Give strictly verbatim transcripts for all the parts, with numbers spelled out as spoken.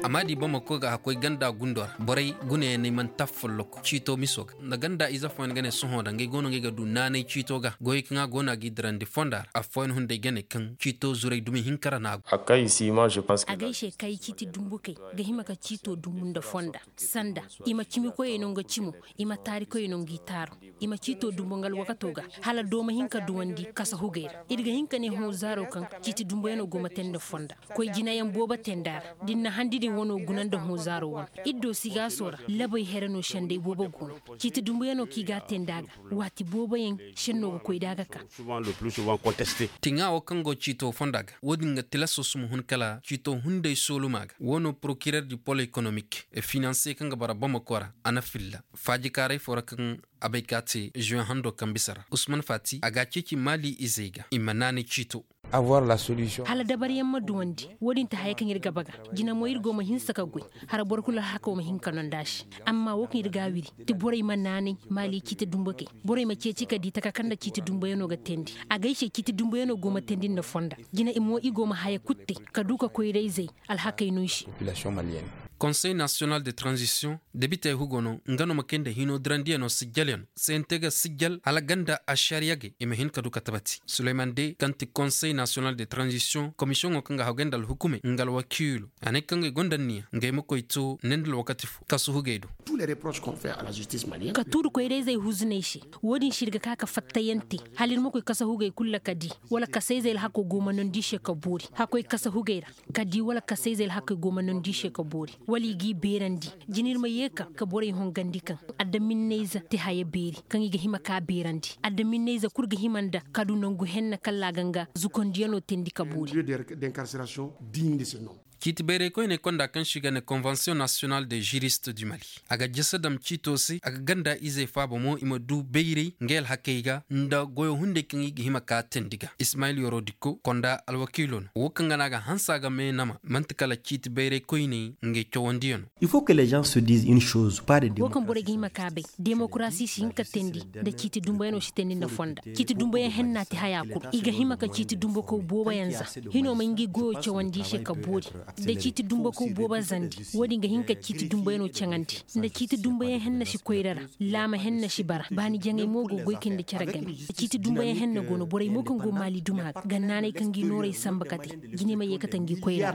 A ma di bamako ga hakkoy ganda gundo ra borey gunayaney mana taafa folloku ciito miso ga nda ganda ize fooyaŋ ga ne sohõ da ngey go no ngey ga du naanay ciito ga goyey kaŋ a go no a g'i dirandi fonda ra affooyaŋ hunday ga ne kaŋ ciito zuray dumi hinka ra no a go. A gay se kay ciiti dumbukey ga hima ka ciito dumbu nda fonda sanda i ma cimikoyey no nga cimo i ma taarikoyey no nga i taaru i ma ciito dumbu nga alwakato ga hala doo ma hin ka duwandi kasa hugey ra ir ga hin ka ne hõ zaaro kaŋ ciiti dumbuyanoo go ma te nda fonda koy jinayaŋ boobo te nda ra da ir na handi din wanoo guna nda hõ zaaro wane ir do sigaaso ra labey here no senday boobo go no ciiti dumbuyanoo kaŋ i g'a te nda ga waati booboyaŋ senno ga koy da a ga ka. Tiŋa wo kaŋ go ciito fonda ga wo-din ga tilaso suma hun kala ciito hunday sooluma ga wo no porokirer di pol ekonomik e finanse kaŋ ga bara bamako ra a na filla faajikaaray foo ra kaŋ a bay ka te zuwe hando kaŋ bisa ra usman faati a ga a ceeci maali izey ga i ma naanay ciito. Hala dabaryaŋ ma duwandi wo-din ti haya kaŋ ir ga baga jina mo ir go ma hinsa ka goy hara boro kulu alhako ma hin ka nonda se amma wo kaŋ ir ga a wiri ti borey ma naanay maali ciiti dumbukey borey ma ceeci ka di taka kaŋ nda ciiti dumbuyanoo ga teendi a gay se ciiti dumbuyanoo go ma teendi nda fonda jina i mo i go ma haya kulu te ka du ka koyrayzey alhakey no i se. Konsey nasiyonal de tranzisiyoŋ debitey hugo no nga no ma kay nda hinoo dirandiyanoo sijjalyanoo se nte ga sijjal hala ganda ašariyagey i ma hin ka du ka tabati suleyman de kaŋ ti konsey nasiyonal de tranzisiyoŋ komisiyoŋo kaŋ ga hagay nda alhukumey nga alwakiilo a ne kaŋ ga ay gonda anniya nga ay ma koy to ne nda alwakati fo kasu hugey do. Ka tuuri koyra-izey huzu no ay se. Wo-din se ir ga ka ka fattayaŋ te hala ir ma koy kasa hugey kulu ra ka di wala kasa-izey alhakoo go ma nondi i se ka boori hakkoy kasa hugey ra ka di wala kasa-izey alhakey go ma nondi i se ka boori wala i g'i beerandi. Jina ir ma yee ka ka borey hongandi kaŋ adaminney-ize te haya beeri kaŋ i ga hima k'a beerandi adaminney-ize kul ga hima nda ka du nangu henna kalla a ga nga zukondiyanoo teendi ka boori. Ciiti bayray koyney konda kaŋ se i ga ne konvensiyoŋ nasiyonal de žirist du mali a ga jese dam ciito se a ga ganda izey faaba mo i ma du bayray ngey alhakey ga nda goyo hunday kaŋ i ga hima ka teendi ga ismayil yoro dikko konda alwakiilo no wo kaŋ ga no a ga hanse a ga meenama man'ti kala ciiti bayray koyney ngey cawandiyanoo. Wo kaŋ borey ga hima ka bay demokarasi si hin ka teendi nda ciiti dumbuyanoo si teendi nda fonda ciiti dumbuyaŋ henna ti haya kul i ga hima ka ciiti dumbukow booboyaŋ za hinoo ma ngi goyoo cawandi i se ka boori nda ciiti dumbukow boobo zandi. Wo-din ga hin ka ciiti dumbuyanoo caŋandi nda ciiti dumbuyaŋ henna si koyra ra laama henna si bara baani jaŋay mo go goy kay nda cere game. Ciiti dumbuyaŋ henna go no borey mo kaŋ go maali duma ga ga naanay ka ngi noorey sanba kate jinay ma yeekate ngi koyra.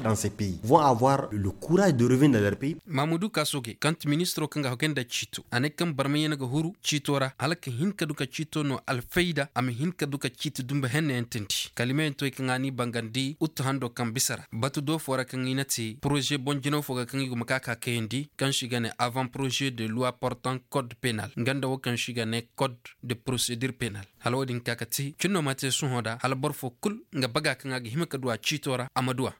Maamudu kaasogey kaŋ ti ministiroo kaŋ ga hagay nda ciito a ne kaŋ barmayaŋ ga huru ciito ra hala ka hin ka du ka ciito no alfayda a ma hin ka du ka ciiti dumbu hennayaŋ teendi kalimayaŋ to ay kaŋ a n'i bangandi uttu handoo kaŋ bisa ra batu do foo ra kaŋ i na te poroze boŋ jinaw foo ga kaŋ i go ma ka ka kayandi kaŋ se i ga ne avan poroze de luwa portan kod penal nga nda wo kaŋ se i ga ne kod de porosedir penal. Hala wo-din ka ka te cin no ma te sohõ da hala boro foo kul nga baga kaŋ a ga hima ka du a ciito ra a ma du a.